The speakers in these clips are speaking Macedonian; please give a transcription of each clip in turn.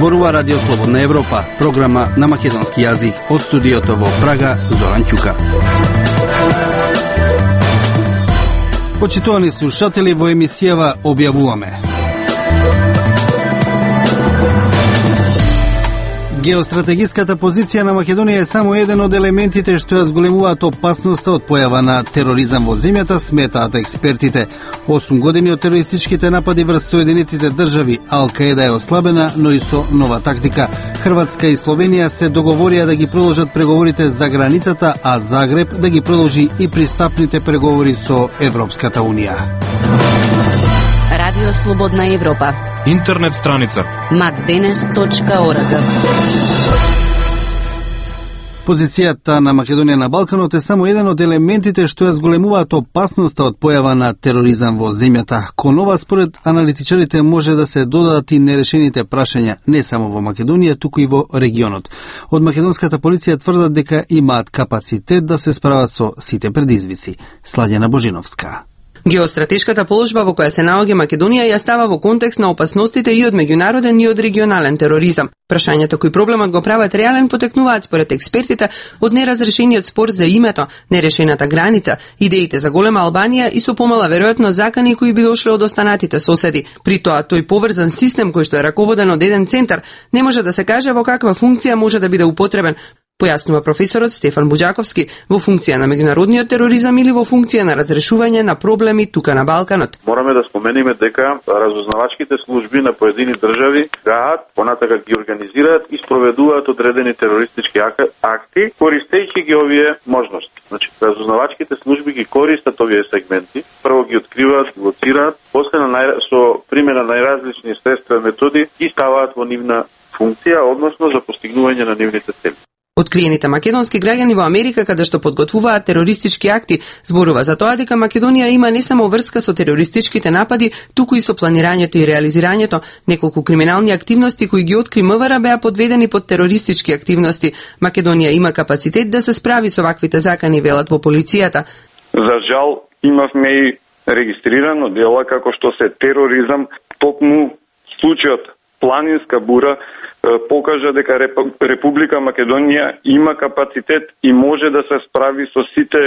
Зборува Радио Слободна Европа, програма на македонски јазик од студиото во Прага, Зоран Ќука. Почитувани слушатели, во емисијава објавуваме: геостратегиската позиција на Македонија е само еден од елементите што ја зголемуваат опасноста од појава на тероризам во земјата, сметаат експертите. 8 години од терористичките напади врз Соединетите држави, Ал-Каеда е ослабена, но и со нова тактика. Хрватска и Словенија се договорија да ги продолжат преговорите за границата, а Загреб да ги продолжи и пристапните преговори со Европската Унија. Радио Слободна Европа. Интернет страница macdenes.org. Позицијата на Македонија на Балканот е само еден од елементите што ја зголемуваат опасноста од појава на тероризам во земјата. Кон ова, според аналитичарите, може да се додадат и нерешените прашања не само во Македонија, туку и во регионот. Од македонската полиција тврдат дека имаат капацитет да се справат со сите предизвици. Сладјана Божиновска. Геостратешката положба во која се наоѓа Македонија ја става во контекст на опасностите и од меѓународен и од регионален тероризам. Прашањата кои проблемот го прават реален потекнуваат според експертите од неразрешениот спор за името, нерешената граница, идеите за голема Албанија и со помала веројатно закани кои би дошле од останатите соседи. При тоа, тој поврзан систем кој што е раководен од еден центар не може да се каже во каква функција може да биде употребен, појаснува професорот Стефан Буџаковски, во функција на меѓународниот тероризам или во функција на разрешување на проблеми тука на Балканот. Мораме да спомениме дека разузнавачките служби на поедини држави гаат, понатака ги организираат и спроведуваат одредени терористички акти, користејќи ги овие можности. Значи, разузнавачките служби ги користат овие сегменти, прво ги откриваат, ги лоцираат, после со примена на најразлични средства и методи ги ставаат во нивна функција, односно за постигнување на нивните цели. Откриените македонски граѓани во Америка, каде што подготвуваат терористички акти, зборува за тоа дека Македонија има не само врска со терористичките напади, туку и со планирањето и реализирањето. Неколку криминални активности кои ги откри МВР беа подведени под терористички активности. Македонија има капацитет да се справи со ваквите закани, велат во полицијата. За жал, имавме и регистрирано дела како што се тероризам, токму случајот Планинска бура покажа дека Република Македонија има капацитет и може да се справи со сите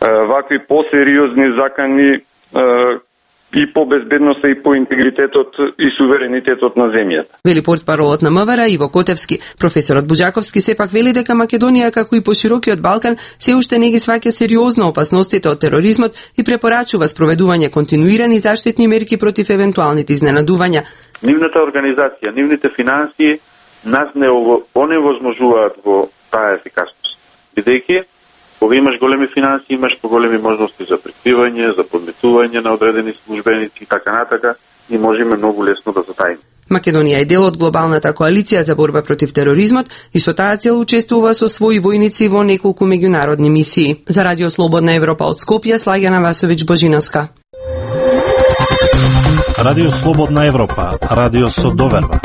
вакви посериозни закани и по безбедноста и по интегритетот и суверенитетот на земјата. Вели портпаролот на МВР Иво Котевски. Професорот Буџаковски сепак вели дека Македонија, како и по широкиот Балкан, се уште не ги сваќа сериозно опасностите од тероризмот и препорачува спроведување континуирани заштитни мерки против евентуалните изненадувања. Нивната организација, нивните финансии нас не оневозможуваат во таа ефикасност. Бидејќи, кога имаш големи финансии, имаш поголеми можности за прикривање, за подметување на одредени службеници и така натака, и можеме многу лесно да затаиме. Македонија е дел од глобалната коалиција за борба против тероризмот и со таа цел учествува со своји војници во неколку меѓународни мисии. За Радио Слободна Европа од Скопје, Слагјана Васовиќ Божиновска. Радио Слободна Европа, радио со доверба.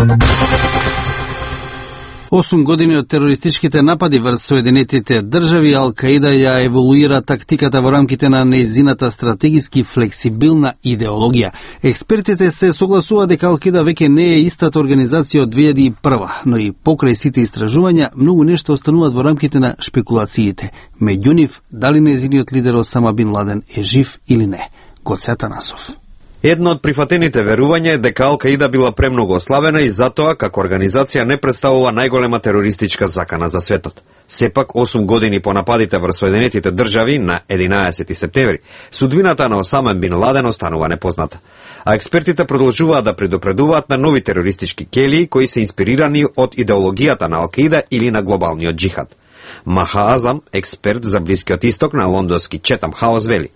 8 години од терористичките напади врз Соединетите држави, Ал-Каеда ја еволуира тактиката во рамките на нејзината стратегиски флексибилна идеологија. Експертите се согласуваат дека Ал-Каеда веќе не е истата организација од 2001, но и покрај сите истражувања, многу нешто остануваат во рамките на шпекулациите. Меѓу нив, дали нејзиниот лидер Осама Бин Ладен е жив или не. Гоце Атанасов. Едно од прифатените верувања е дека Ал-Каеда била премногу ослабена и затоа, како организација, не представува најголема терористичка закана за светот. Сепак, 8 години по нападите врз Соединетите држави на 11 септември, судбината на Осама Бин Ладен останува непозната. А експертите продолжуваат да предупредуваат на нови терористички келии кои се инспирирани од идеологијата на Ал-Каеда или на глобалниот джихад. Маха Азам, експерт за Блискиот исток на лондонски Четам Хаус, вели: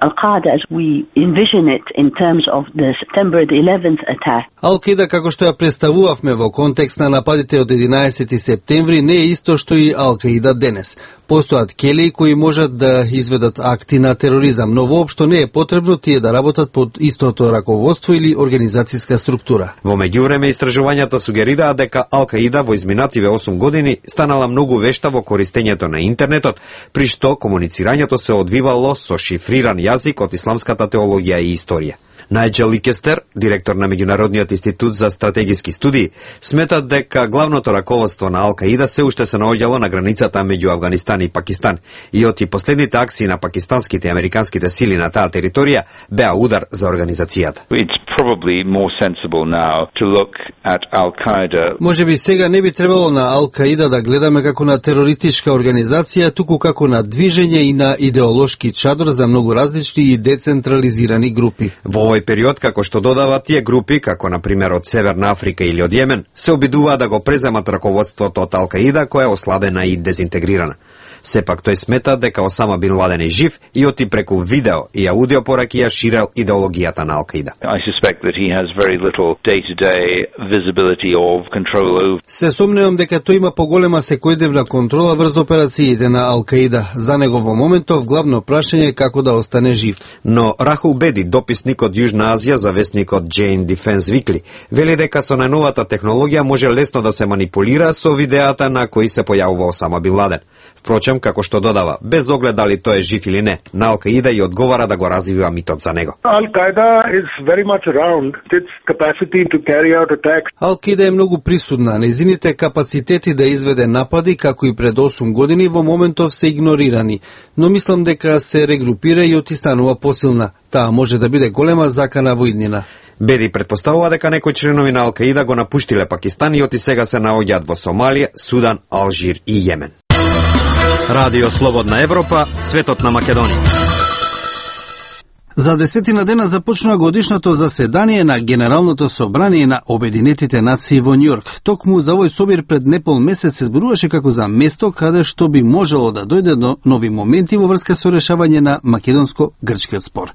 Ал-Каеда, како што ја представувавме во контекст на нападите од 11 септември, не е исто што и Ал-Каеда денес. Постојат келии кои можат да изведат акти на тероризам, но воопшто не е потребно тие да работат под истото раководство или организацијска структура. Во меѓувреме, истражувањата сугерираат дека Ал-Каеда во изминативе 8 години станала многу вешта во користењето на интернетот, при што комуницирањето се одвивало со шифриран јазик од исламската теологија и историја. Најджел Ликестер, директор на Меѓународниот институт за стратегиски студии, смета дека главното раководство на Ал-Каида се уште се наоѓало на границата меѓу Авганистан и Пакистан и оти последните акции на пакистанските и американските сили на таа територија беа удар за организацијата. Можеби сега не би требало на Ал-Каида да гледаме како на терористичка организација, туку како на движење и на идеолошки чадор за многу различни и децентрализирани групи. Во овој период, како што додава, тие групи, како на пример од Северна Африка или од Јемен, се обидуваат да го преземат раководството од Ал-Каида, која е ослабена и дезинтегрирана. Сепак тој смета дека Осама Бин Ладен е жив и оти преку видео и аудио пораки ја ширел идеологијата на Ал-Каида. Се сомневам дека тој има поголема секојдневна контрола врз операциите на Ал-Каида. За него во моментов главно прашање е како да остане жив. Но Рахул Беди, дописник од Јужна Азија за весникот Jane Defense Weekly, вели дека со најновата технологија може лесно да се манипулира со видеата на кои се појавува Осама Бин Ладен. Впрочем, како што додава, без оглед дали тој е жив или не, на Ал-Каида и одговара да го развива митот за него. Ал-Каида е многу присутна. Нејзините капацитети да изведе напади, како и пред 8 години, во моментов се игнорирани. Но мислам дека се регрупира и отистанува посилна. Таа може да биде голема закана во иднина. Беди предпоставува дека некои членови на Ал-Каида го напуштиле Пакистан и оти сега се наоѓаат во Сомалија, Судан, Алжир и Јемен. Радио Слободна Европа, светот на Македонија. За 10 дена започнува годишното заседание на Генералното собрание на Обединетите нации во Њујорк. Токму за овој собир пред непол месец се зборуваше како за место каде што би можело да дојде до нови моменти во врска со решавање на македонско-грчкиот спор.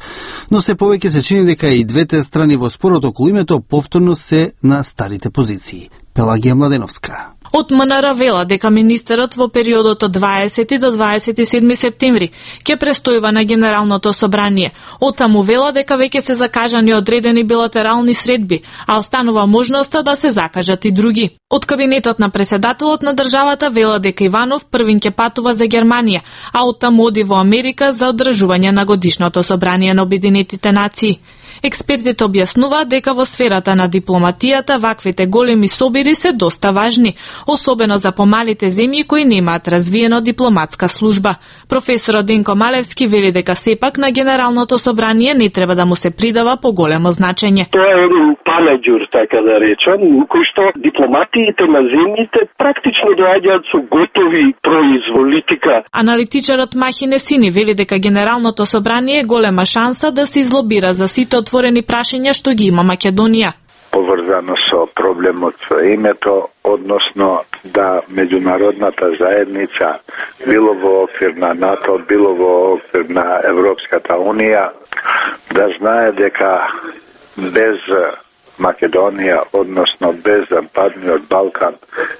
Но се повеќе се чини дека и двете страни во спорот околу името повторно се на старите позиции. Пелагија Младеновска. Од МНР вела дека министерот во периодот од 20 до 27 септември ќе престојува на Генералното собрание. Оттаму вела дека веќе се закажани одредени билатерални средби, а останува можноста да се закажат и други. Од кабинетот на преседателот на државата вела дека Иванов првин ќе патува за Германија, а оттаму оди во Америка за одржување на годишното собрание на Обединетите нации. Експертите објаснуваат дека во сферата на дипломатијата ваквите големи собири се доста важни, особено за помалите земји кои немаат развиено дипломатска служба. Професорот Денко Малевски вели дека сепак на Генералното собрание не треба да му се придава поголемо значење. Тоа е еден панеѓур, така да речем, кој што дипломатиите на земјите практично доаѓаат со готови произволи. Аналитичарот Махи Несини вели дека Генералното собрание е голема шанса да се излобира за сите отворени прашања што ги има Македонија. Поврзано со проблемот со името, односно да меѓународната заедница, било во оквир на НАТО, било во оквир на Европската Унија, да знае дека без Македонија, односно без Западниот Балкан,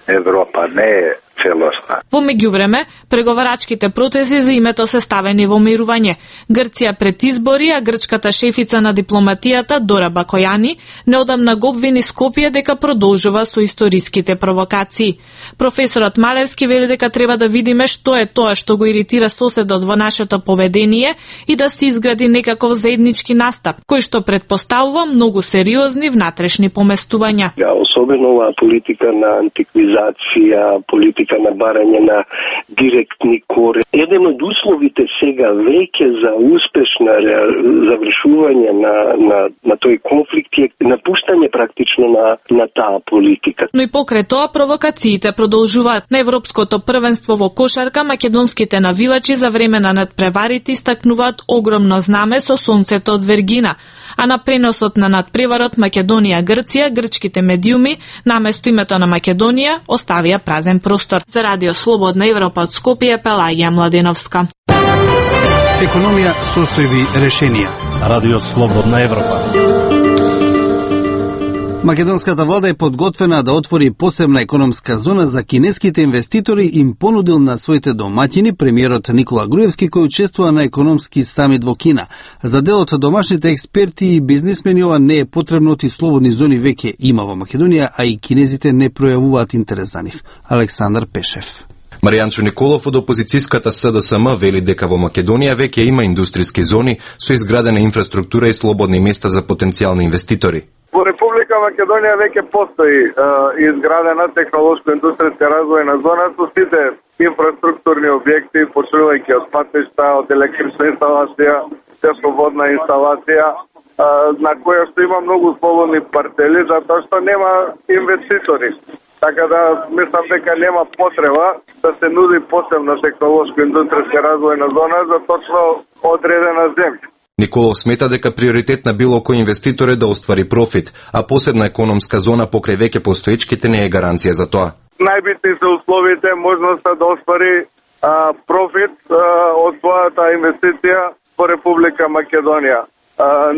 Европа не е целосна. Во меѓувреме, преговарачките процеси за името се ставени во мирување. Грција пред избори, а грчката шефица на дипломатијата Дора Бакојани неодамна го обвини Скопје дека продолжува со историските провокации. Професорот Малевски вели дека треба да видиме што е тоа што го иритира соседот во нашето поведение и да се изгради некаков заеднички настап, кој што предпоставува многу сериозни внатрешни поместувања. Особено оваа политика на антиквизација, политика на барање на директни кори. Еден од условите сега веќе за успешно завршување на тој конфликт е напуштање практично на таа политика. Но и покрај тоа провокациите продолжуваат. На Европското првенство во кошарка македонските навивачи за време на надпреварите истакнуваат огромно знаме со сонцето од Вергина. А на преносот на надпреварот Македонија-Грција, грчките медиуми наместо името на Македонија оставија празен простор. За Радио Слободна Европа од Скопје, Пелагија Младеновска. Економија, состојби, решенија. Радио Слободна Европа. Македонската влада е подготвена да отвори посебна економска зона за кинеските инвеститори, им понудил на своите домаќини премиерот Никола Груевски, кој учествува на економски самит во Кина. За дел од домашните експерти и бизнисмени ова не е потребно, и слободни зони веќе има во Македонија, а и кинезите не пројавуваат интерес за нив. Александар Пешев. Маријанчо Николов од опозицијската СДСМ вели дека во Македонија веќе има индустријски зони со изградена инфраструктура и слободни места за потенцијални инвеститори. Во Република Македонија веќе постои изградена технолошко-индустријска развојна зона со сите инфраструктурни објекти, почнувајќи од патишта, од електрична инсталација, тепловодна инсталација, на која што има многу слободни партели, затоа што нема инвеститори. Така да мислам дека нема потреба да се нуди посебна технолошко-индустријска развојна зона за точно одредена земја. Николов смета дека приоритет на било кој инвеститор е да оствари профит, а посебна економска зона покрај веќе постоечките не е гаранција за тоа. Најбитни се условите, можноста да оствари профит од својата инвестиција во Република Македонија.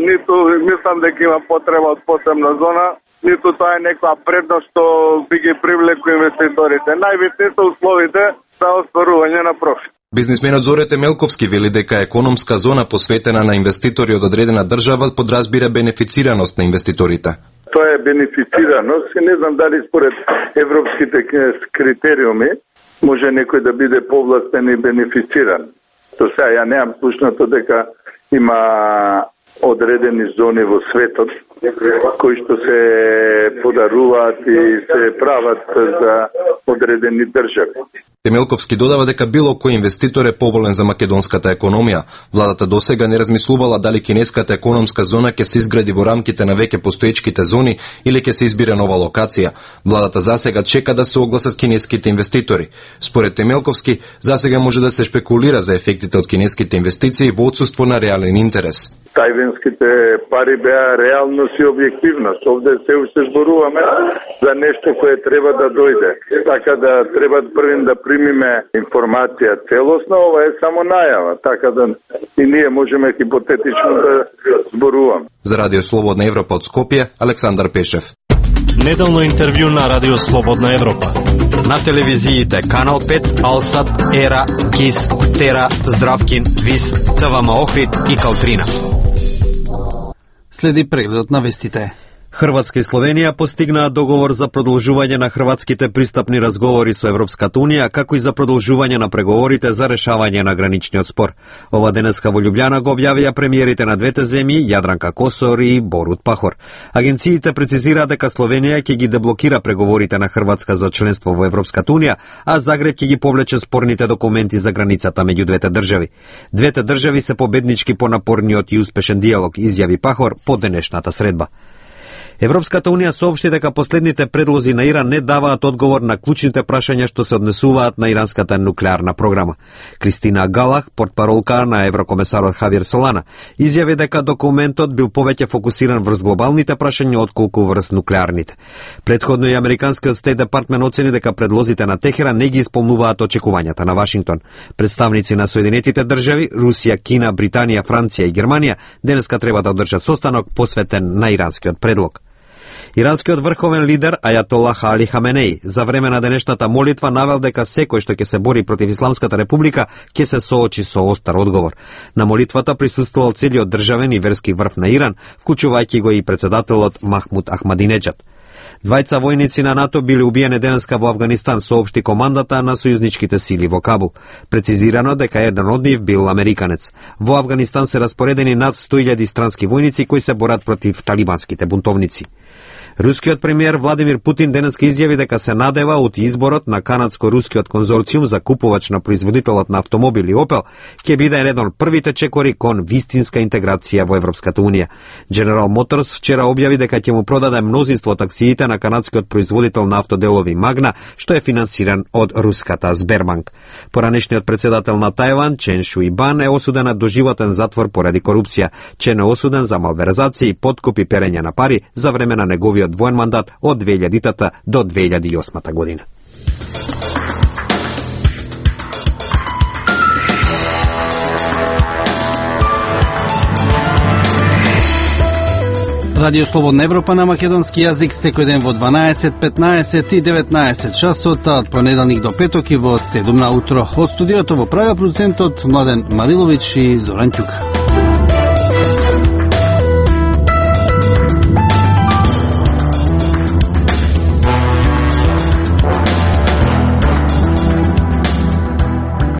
Ниту мислам дека има потреба од посебна зона, ниту тоа е некоја предност што би ги привлекло инвеститорите. Најбитни се условите за остварување на профит. Бизнисменот Зоре Темелковски вели дека економска зона посветена на инвеститори од одредена држава подразбира бенефицираност на инвеститорите. Тоа е бенефицираност и не знам дали според европските критериуми може некој да биде повластен и бенефициран. До сега ја немам слушнато дека има одредени зони во светот кои што се подаруваат и се прават за одредени држави. Темелковски додава дека било кој инвеститор е поволен за македонската економија. Владата досега не размислувала дали кинеската економска зона ќе се изгради во рамките на веќе постоечките зони или ќе се избере нова локација. Владата засега чека да се огласат кинеските инвеститори. Според Темелковски, засега може да се шпекулира за ефектите од кинеските инвестиции во отсуство на реален интерес. Тајвинските пари беа реалност и објективност. Овде се уште зборуваме за нешто кое треба да дојде. Така да треба првим да примиме информација целосна, ова е само најава. Така да и ние можеме хипотетично да зборуваме. За Радио Слободна Европа од Скопје, Александар Пешев. Неделно интервју на Радио Слободна Европа. На телевизиите Канал 5, Алсат, Ера, Кис, Тера, Здравкин, Вис, ТВМ Охрид и Калтрина. Следи прегледот на вестите. Хрватска и Словенија постигнаа договор за продолжување на хрватските пристапни разговори со Европската Унија, како и за продолжување на преговорите за решавање на граничниот спор. Ова денеска во Љубљана го објавија премиерите на двете земји, Јадранка Косор и Борут Пахор. Агенциите прецизираа дека Словенија ќе ги деблокира преговорите на Хрватска за членство во Европската Унија, а Загреб ќе ги повлече спорните документи за границата меѓу двете држави. Двете држави се победнички по напорниот и успешен диалог, изјави Пахор по денешната средба. Европската Унија соопшти дека последните предлози на Иран не даваат одговор на клучните прашања што се однесуваат на иранската нуклеарна програма. Кристина Галах, портпаролка на еврокомесарот Хавиер Солана, изјави дека документот бил повеќе фокусиран врз глобалните прашања отколку врз нуклеарните. Предходно и американскиот Стейт Департмент оцени дека предлозите на Техеран не ги исполнуваат очекувањата на Вашингтон. Представници на Соединетите држави, Русија, Кина, Британија, Франција и Германија денеска треба да одржат состанок посветен на иранскиот предлог. Иранскиот врховен лидер Ајатолах Али Хаменеи за време на денешната молитва навел дека секој што ќе се бори против Исламската република ќе се соочи со остар одговор. На молитвата присуствувал целиот државен и верски врв на Иран, вклучувајќи го и председателот Махмуд Ахмадинеджад. Двајца војници на НАТО биле убиени денеска во Авганистан, соопшти командата на сојузничките сили во Кабул. Прецизирано дека еден од нив бил американец. Во Авганистан се распоредени над 100.000 странски војници кои се борат против талибанските бунтовници. Рускиот премиер Владимир Путин денеска изјави дека се надева од изборот на канадско-рускиот конзорциум за купувач на производителот на автомобили Opel ќе биде еден од првите чекори кон вистинска интеграција во Европската Унија. General Motors вчера објави дека ќе му продаде мнозинство од акциите на канадскиот производител на автоделови Magna, што е финансиран од руската Сбербанк. Поранешниот председател на Тајван, Чен Шујбан, е осуден на доживотен затвор поради корупција. Чен е осуден за малверзација и подкуп и перење на пари за време на неговиот воен мандат од 2000 до 2008 година. Радио Слободна Европа на македонски јазик секој ден во 12, 15 и 19 часот, од понеделник до петок и во 7 на утро. Од студиото во правиот продуцентот Младен Марилович и Зоран Ќука.